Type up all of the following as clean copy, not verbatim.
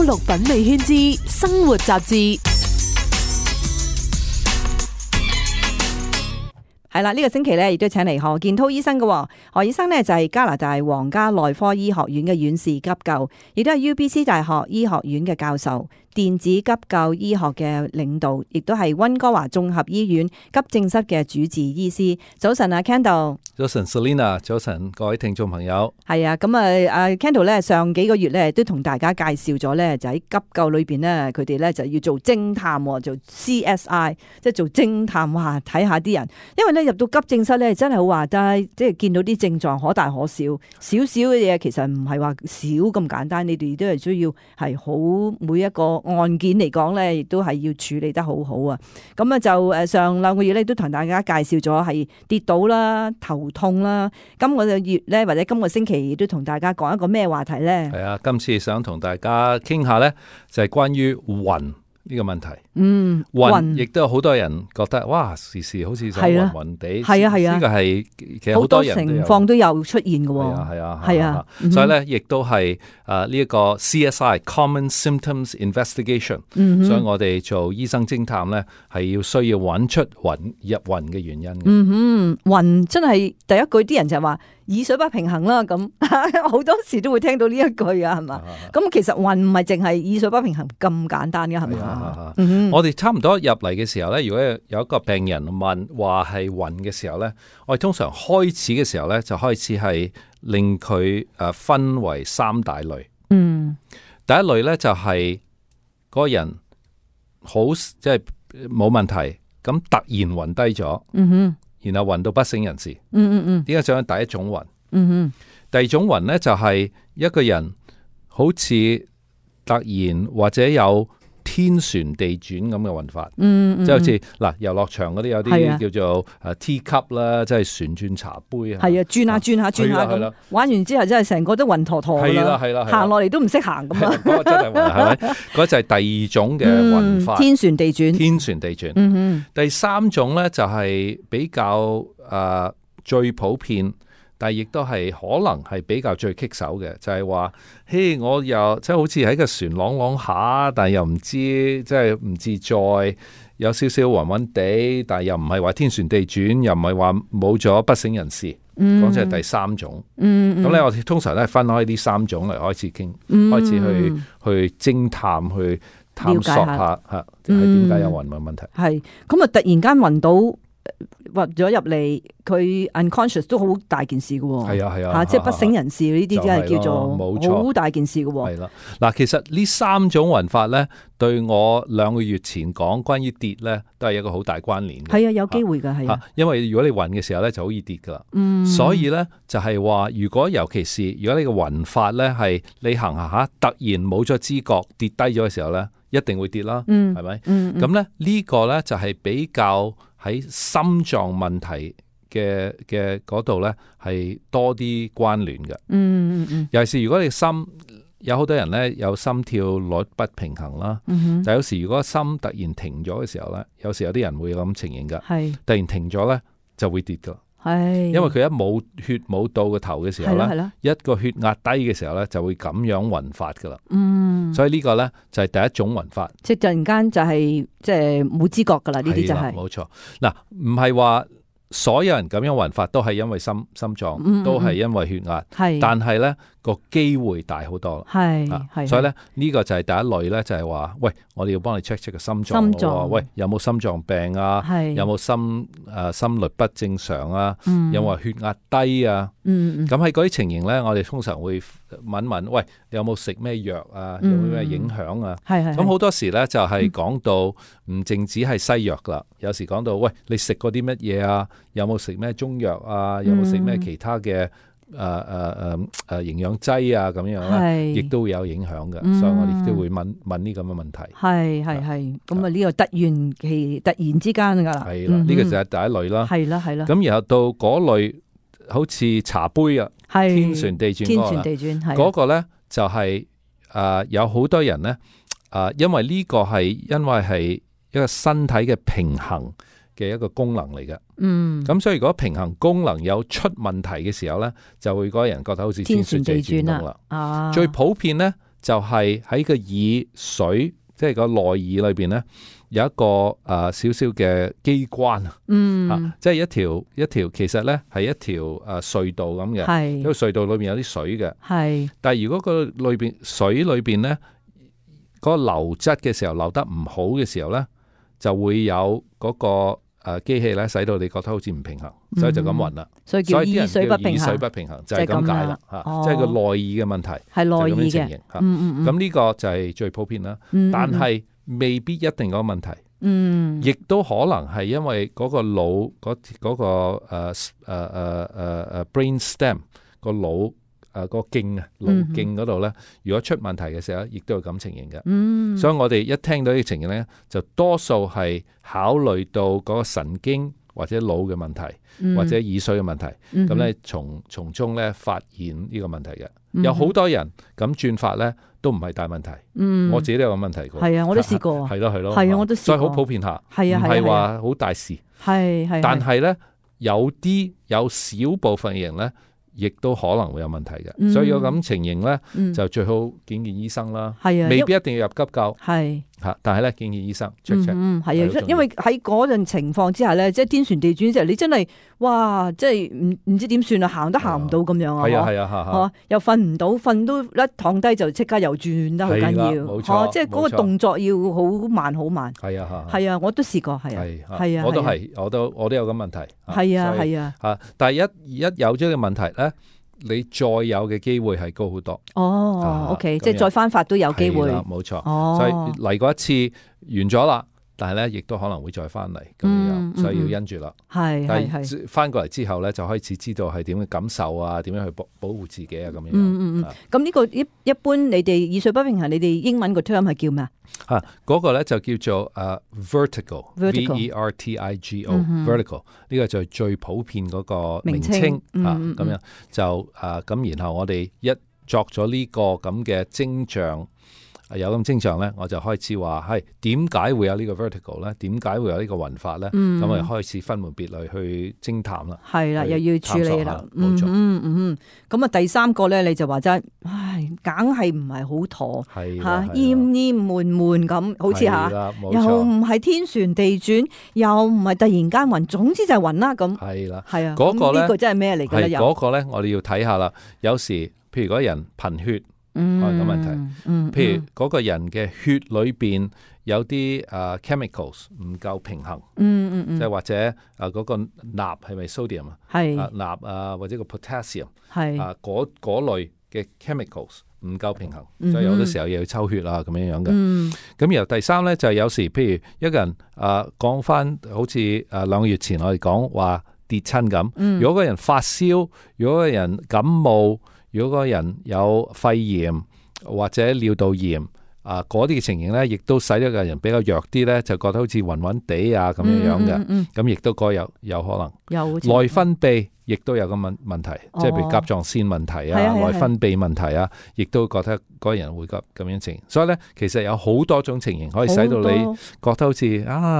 綠品味圈之生活雜誌。係啦，呢個星期咧亦都請嚟何建滔醫生嘅。何醫生呢就係加拿大皇家內科醫學院嘅院士急救，亦都係 UBC 大學醫學院嘅教授，電子急救醫學嘅領導，亦都係溫哥華綜合醫院急症室嘅主治醫師。早晨啊 Kendall。早晨 Selina， 早晨各位聽眾朋友。係啊，咁啊 Kendall 咧上幾個月咧都同大家介紹咗咧，就喺急救裏邊咧，佢哋咧就要做偵探，做 CSI， 即係做偵探，哇睇下啲人，因為咧入到急症室咧真係好話齋，即係見到啲症狀可大可小，少少嘅嘢其實唔係話少咁簡單，你哋都係需要係好每一個案件嚟講咧，亦都係要處理得好好啊。咁啊就上兩個月咧都同大家介紹咗係跌倒啦、頭痛啦。今個月咧或者今個星期亦都同大家講一個咩話題咧？係啊，今次想同大家傾下咧，就係關於暈呢個問題。暈亦都有好多人覺得哇，時時好似就暈暈地。係啊，呢個係其實好多人情況都有出現嘅。係啊，所以咧亦都係呢一個 CSI Common Symptoms Investigation。所以我哋做醫生偵探咧，係要需要揾出入暈嘅原因嘅。暈真係第一句啲人就係話耳水不平衡啦，咁好多時都會聽到呢一句啊，係嘛？咁其實暈唔係淨係耳水不平衡咁簡單嘅，係咪？我哋差唔多入嚟嘅時候咧，如果有一個病人問話係暈嘅時候咧，我哋通常開始嘅時候咧，就開始係令佢分為三大類。第一類咧就係嗰個人好即係冇問題，咁突然暈低咗，然後暈到不省人事。點解就係第一種暈？第二種暈咧就係一個人好似突然或者有天旋地轉咁嘅運法，即係好似嗱遊樂場嗰啲有啲叫做T 級啦，即係旋轉茶杯啊，係啊，轉下咁，玩完之後真係成個都暈陀陀啦，行落嚟都唔識行咁啊！嗰個真係暈，係咪？嗰就係第二種嘅運法，天旋地轉。第三種咧就係比較最普遍。但係亦都係可能係比較最棘手嘅，就係話，嘿，我又即係好似喺個船啷下，但係又唔知，即係唔自在，有少少暈暈地，但係又唔係話天旋地轉，又唔係話冇咗不省人事。講即係第三種。咁咧，我哋通常咧分開呢三種嚟開始傾，開始去偵探，去探索下係點解有暈嘅問題。係咁啊！突然間暈到。暈咗入嚟，佢 unconscious 都好大件事嘅。係啊，即係不省人事呢啲，真係叫做好大件事嘅。係啦，嗱，其實呢三種暈法咧，對我2個月前講關於跌咧，都係一個好大關聯嘅。係啊，有機會噶，係啊。因為如果你暈嘅時候咧，就好易跌噶啦。所以咧就係話，如果尤其是如果你個暈法咧係你行下突然冇咗知覺跌低咗嘅時候咧，一定會跌啦。係咪？咁咧呢個咧就係比較。喺心臟問題嘅嗰度咧，係多啲關聯嘅。尤其是如果你心有好多人咧有心跳率不平衡啦，但有時如果心突然停咗嘅時候咧，有時有啲人會有咁情形噶，突然停咗咧就會跌噶。因為佢一冇血冇到個頭嘅時候咧，一個血壓低嘅時候咧，就會咁樣暈法噶啦。所以呢個咧就係第一種暈法，即係突然間就係即係冇知覺噶啦。呢啲就係冇錯。嗱，唔係話所有人咁樣暈法都係因為心臟，都係因為血壓，但係咧個機會大好多。所以咧呢個就係第一類咧，就係話喂，我哋要幫你 check 個心臟，喂，有冇心臟病啊？有冇心律不正常啊？有冇血壓低啊？咁喺嗰啲情形咧，我哋通常會問，喂，你有冇食咩藥啊？有冇咩影響啊？咁好多時咧就係講到唔淨止係西藥啦，有時講到喂，你食過啲乜嘢啊？有冇食咩中藥啊？有冇食咩其他嘅營養劑啊？咁樣咧，亦都會有影響嘅。所以我哋都會問呢咁嘅問題。係。咁啊呢個突然之間噶啦。係啦，呢個就係第一類啦。係啦。咁然後到嗰類好似茶杯啊，天旋地轉嗰個咧，就係有好多人咧因為呢個係一個身體嘅平衡嘅一個功能嚟嘅。咁所以如果平衡功能有出問題嘅時候咧，就會嗰個人覺得好似天旋地轉咁啦。最普遍咧就係喺個耳水，即係個內耳裏邊咧，有一個少少嘅機關即係一條其實咧係一條隧道咁嘅，因為隧道裏邊有啲水嘅，但係如果個裏邊水裏邊咧嗰個流質嘅時候流得唔好嘅時候咧，就會有嗰個機器咧，使到你覺得好似唔平衡，所以就咁暈啦。所以啲人叫耳水不平衡，就係咁解啦。即係個內耳嘅問題，係內耳嘅情形。咁呢個就係最普遍啦。但係未必一定嗰個問題。亦都可能係因為嗰個腦嗰個brain stem 個腦個徑啊腦徑嗰度咧，如果出問題嘅時候，亦都有咁情形嘅。所以我哋一聽到呢個情形咧，就多數係考慮到嗰個神經或者腦嘅問題，或者耳水嘅問題。咁咧從中咧發現呢個問題嘅。有好多人咁轉法咧，都唔係大問題。我自己都有個問題過。係啊，我都試過。係咯，我都試過。所以好普遍下，唔係話好大事。但係咧，有少部分嘅人咧，亦都可能會有問題嘅。所以有咁情形咧，就最好見醫生啦。未必一定要入急救。但係咧，見醫生 check。因為喺嗰陣情況之下咧，即係天旋地轉之後，你真係哇，即係唔知點算啊，行都行唔到咁樣啊，又瞓唔到，瞓都一躺低就即刻又轉得好緊要，冇錯，即係嗰個動作要好慢好慢。係啊，我都試過，係啊，我都有咁問題。係啊，但係一有咗個問題咧，你再有嘅機會係高好多。OK， 即係再翻發都有機會。冇錯。所以嚟過一次完咗啦，但係咧亦都可能會再翻嚟咁樣，所以要因住啦。但係翻過嚟之後咧，就開始知道係點嘅感受啊，點樣去保護自己啊咁樣。咁呢個一般你哋耳水不平衡，你哋英文個 term 係叫咩啊？嗰個咧就叫做vertigo，vertigo，呢個就係最普遍嗰個名稱咁樣就咁，然後我哋一作咗呢個咁嘅徵象。有咁徵象咧，我就開始話係點解會有呢個 vertigo 咧？點解會有呢個暈法咧？咁我哋開始分門別類去偵探啦。係啦，又要處理啦。冇錯。咁啊，第三個咧，你就話真係，梗係唔係好妥嚇，厭悶悶咁，好似又唔係天旋地轉，又唔係突然間暈，總之就係暈啦咁。係啦，係啊。嗰個咧，呢個真係咩嚟㗎咧？嗰個咧，我哋要睇下啦。有時譬如嗰人貧血。可能有問題，譬如嗰個人嘅血裏邊有啲chemicals 唔夠平衡，即係或者嗰個鈉係咪 sodium 啊？鈉啊或者個 potassium 嗰類嘅 chemicals 唔夠平衡，所以有啲時候又要抽血啊咁樣樣嘅。咁然後第三咧就係有時譬如一個人講翻好似2個月前我哋講話跌親咁，如果個人發燒，如果個人感冒。如果嗰個人有肺炎或者尿道炎嗰啲嘅情形咧，亦都使咗個人比較弱啲咧，就覺得好似暈暈地啊咁樣樣嘅。咁亦都個有可能。內分泌亦都有個問題，即係譬如甲狀腺問題內分泌問題啊，亦都覺得嗰個人會咁樣情形。所以咧，其實有好多種情形可以使到你覺得好似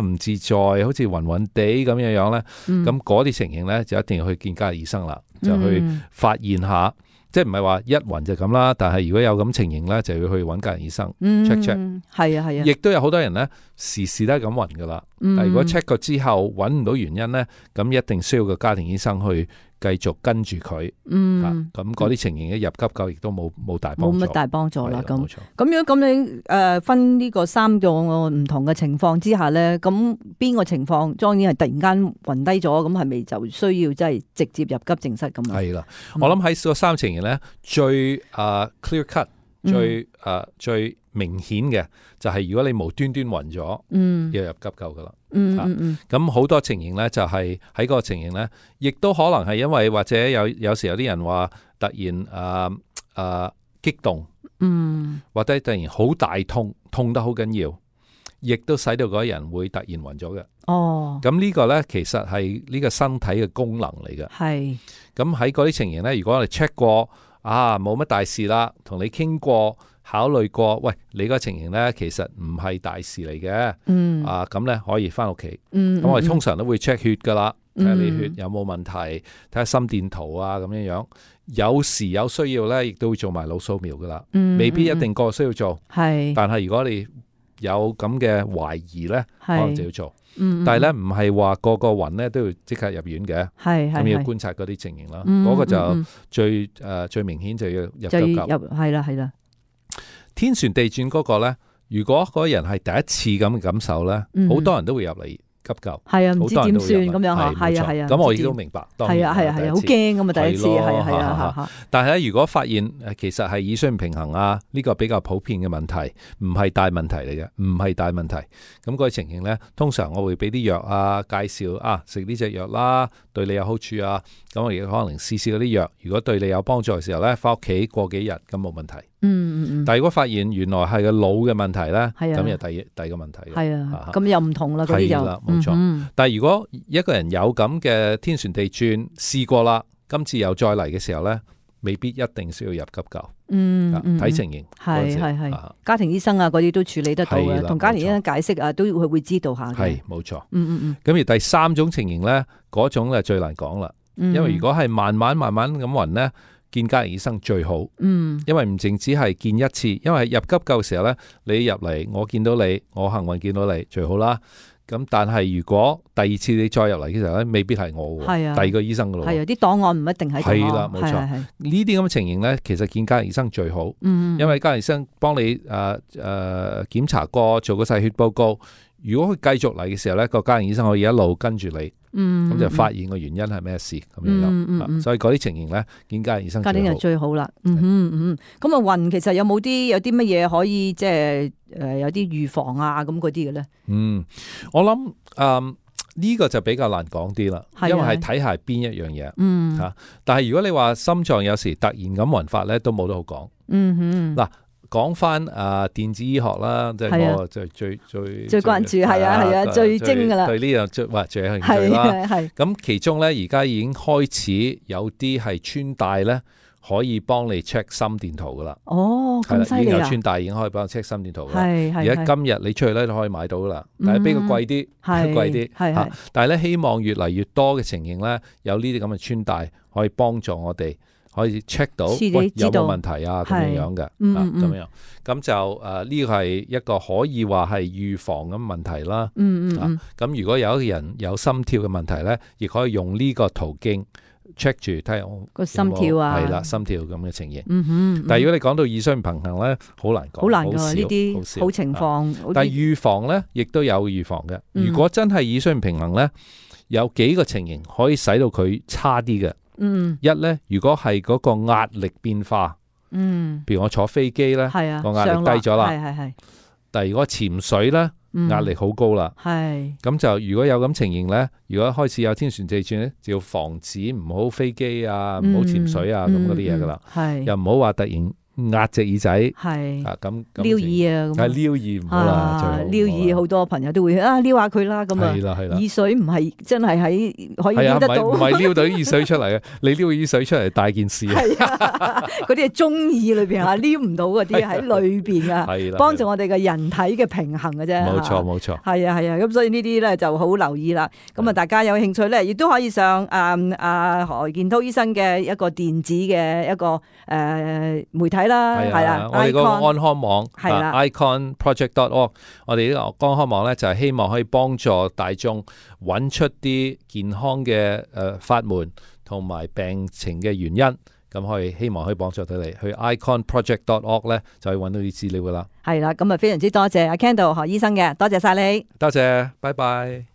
唔自在，好似暈暈地咁樣樣咧。咁嗰啲情形咧，就一定要去見家醫生啦，就去發現下。即係唔係話一暈就咁啦，但係如果有咁情形咧，就要去揾家人醫生 check check。係啊。亦都有好多人咧，時時都係咁暈噶啦。但係如果 check 過之後揾唔到原因咧，咁一定需要個家庭醫生去繼續跟住佢。咁嗰啲情形一入急救，亦都冇大幫助。冇乜大幫助啦。咁樣咁你分呢個3個唔同嘅情況之下咧，咁邊個情況當然係突然間暈低咗，咁係咪就需要即係直接入急症室咁啊？係啦，我諗喺個3情形咧，最clear cut、最明顯嘅就係如果你無端端暈咗，要入急救噶啦。咁好多情形咧，就係喺嗰個情形咧，亦都可能係因為或者有時有啲人話突然激動，或者突然好大痛得好緊要，亦都使到嗰個人會突然暈咗嘅。咁呢個咧其實係呢個身體嘅功能嚟嘅。咁喺嗰啲情形咧，如果我哋 check 過冇乜大事啦，同你傾過。考慮過，喂，你個情形咧，其實唔係大事嚟嘅，咁咧可以翻屋企。咁我哋通常都會 check 血噶啦，睇下你血有冇問題，睇下心電圖啊咁樣。有時有需要咧，亦都會做埋腦掃描噶啦，未必一定個需要做。但係如果你有咁嘅懷疑咧，可能就要做。但係咧唔係話個暈咧都要即刻入院嘅，咁要觀察嗰啲情形啦。嗰個就最明顯就要入急救。係啦。天旋地轉嗰個咧，如果嗰個人係第一次咁嘅感受咧，好多人都會入嚟急救，唔知點算咁樣係咁我亦都明白，係好驚咁啊！第一次係但係咧，如果發現其實係耳水唔平衡啊，呢個比較普遍嘅問題，唔係大問題嚟嘅，唔係大問題。咁嗰個情形咧，通常我會俾啲藥啊，介紹食呢隻藥啦，對你有好處啊。咁我亦可能試嗰啲藥，如果對你有幫助嘅時候咧，翻屋企過幾日咁冇問題。但係如果發現原來係個腦嘅問題咧，咁又第二個問題。咁又唔同啦，嗰啲就冇錯。但係如果一個人有咁嘅天旋地轉試過啦，今次又再嚟嘅時候咧，未必一定需要入急救。睇情形。係家庭醫生啊，嗰啲都處理得到嘅，同家庭醫生解釋啊，都會知道下嘅。係冇錯。咁而第三種情形咧，嗰種咧最難講啦，因為如果係慢慢咁暈咧，見家庭醫生最好。因為唔淨止係見一次，因為入急救嘅時候咧，你入嚟我見到你，我幸運見到你最好啦。咁但係如果第二次你再入嚟嘅時候咧，未必係我喎，第二個醫生噶咯。啲檔案唔一定喺度。係啦，冇錯。呢啲咁嘅情形咧，其實見家庭醫生最好。因為家庭醫生幫你檢查過，做個細血報告。如果佢繼續嚟嘅時候咧，個家庭醫生可以一路跟住你。咁就發現個原因係咩事咁樣。所以嗰啲情形咧，見家庭醫生最好。家庭就最好啦。咁暈其實有啲乜嘢可以即係有啲預防啊咁嗰啲嘅咧？我諗呢個就比較難講啲啦，因為係睇下邊一樣嘢。但係如果你話心臟有時突然咁暈法咧，都冇得好講。嗱。講翻電子醫學啦，即係我最關注，係最精噶啦，對呢樣最有興趣啦。咁其中咧，而家已經開始有啲係穿戴咧，可以幫你 check 心電圖噶啦。咁犀利啊！已經有穿戴已經可以幫你 check 心電圖啦。而家今日你出去咧都可以買到噶啦，但係比較貴啲，貴啲。但係咧，希望越嚟越多嘅情形咧，有呢啲咁嘅穿戴可以幫助我哋。可以 check 到有冇問題啊，咁樣嘅，咁樣，咁就呢個係一個可以話係預防咁問題啦。咁如果有一個人有心跳嘅問題咧，亦可以用呢個途徑 check 住睇下我個心跳啊，係啦，心跳咁嘅情形。但係如果你講到耳水唔平衡咧，好難講，好難㗎呢啲好情況。但係預防咧，亦都有預防嘅。如果真係耳水唔平衡咧，有幾個情形可以使到佢差啲嘅。一咧，如果係嗰個壓力變化，譬如我坐飛機咧，個壓力低咗啦，但係如果潛水咧，壓力好高啦，咁就如果有咁情形咧，如果開始有天旋地轉咧，就要防止唔好飛機啊，唔好潛水啊，咁嗰啲嘢噶啦，又唔好話突然壓隻耳仔，咁撩耳啊，係撩耳唔好啦，撩耳好多朋友都會撩下佢啦，咁啊，耳水唔係真係可以撩得到，唔係撩到啲耳水出嚟嘅，你撩耳水出嚟大件事啊，嗰啲係中耳裏邊撩唔到嗰啲喺裏邊啊，幫助我哋嘅人體嘅平衡嘅啫，冇錯，係啊，咁所以呢啲咧就好留意啦。咁啊，大家有興趣咧，亦都可以上何健滔醫生嘅一個電子嘅一個媒體。係啦，我哋個安康網iconproject.org， 我哋呢個安康網咧就係希望可以幫助大眾揾出啲健康嘅法門同埋病情嘅原因，咁希望可以幫助到你去 iconproject.org 咧就可以揾到啲資料噶啦。係啦，咁啊非常之多謝阿 Kendall 何醫生嘅，多謝晒你，多謝，拜拜。